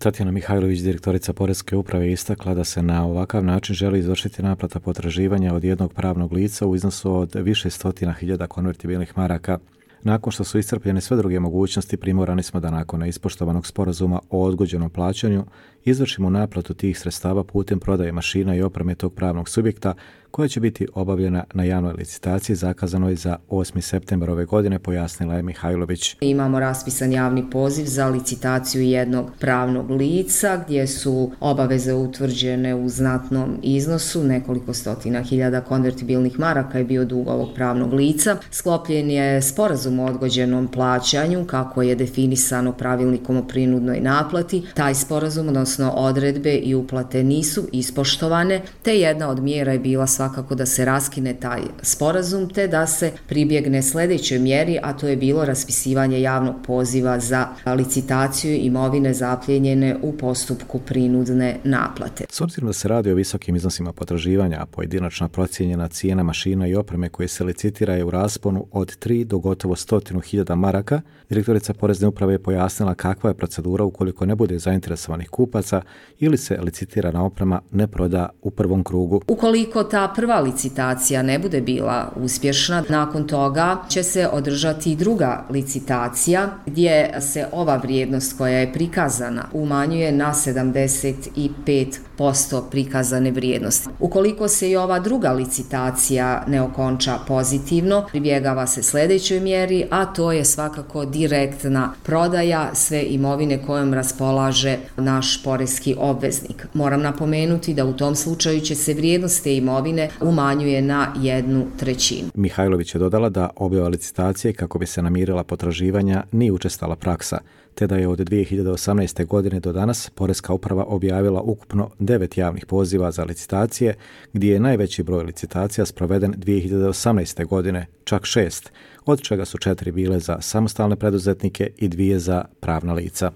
Tatjana Mihajlović, direktorica Poreske uprave, istakla da se na ovakav način želi izvršiti naplata potraživanja od jednog pravnog lica u iznosu od više stotina hiljada konvertibilnih maraka. Nakon što su iscrpljene sve druge mogućnosti, primorani smo da nakon neispoštovanog sporazuma o odgođenom plaćanju izvršimo naplatu tih sredstava putem prodaje mašina i opreme tog pravnog subjekta, koja će biti obavljena na javnoj licitaciji zakazanoj za 8. septembar ove godine, pojasnila je Mihajlović. Imamo raspisan javni poziv za licitaciju jednog pravnog lica gdje su obaveze utvrđene u znatnom iznosu, nekoliko stotina hiljada konvertibilnih maraka je bio dug ovog pravnog lica. Sklopljen je sporazum o odgođenom plaćanju kako je definisano pravilnikom o prinudnoj naplati. Taj sporazum, odnosno odredbe i uplate nisu ispoštovane, te jedna od mjera je bila svakako da se raskine taj sporazum te da se pribjegne sljedećoj mjeri, a to je bilo raspisivanje javnog poziva za licitaciju imovine zaplijenjene u postupku prinudne naplate. S obzirom da se radi o visokim iznosima potraživanja, a pojedinačna procijenjena cijena mašina i opreme koje se licitira je u rasponu od 3 do gotovo 100.000 maraka, direktorica Porezne uprave je pojasnila kakva je procedura ukoliko ne bude zainteresovanih kupaca ili se licitirana oprema ne proda u prvom krugu. Ukoliko ta prva licitacija ne bude bila uspješna, nakon toga će se održati i druga licitacija gdje se ova vrijednost koja je prikazana umanjuje na 75% prikazane vrijednosti. Ukoliko se i ova druga licitacija ne okonča pozitivno, pribjegava se sljedećoj mjeri, a to je svakako direktna prodaja sve imovine kojom raspolaže naš poreski obveznik. Moram napomenuti da u tom slučaju će se vrijednost te imovine umanjuje na 1/3. Mihajlović je dodala da objava licitacije kako bi se namirila potraživanja nije učestala praksa, te da je od 2018. godine do danas Poreska uprava objavila ukupno 9 javnih poziva za licitacije, gdje je najveći broj licitacija sproveden 2018. godine, čak 6, od čega su 4 bile za samostalne preduzetnike i 2 za pravna lica.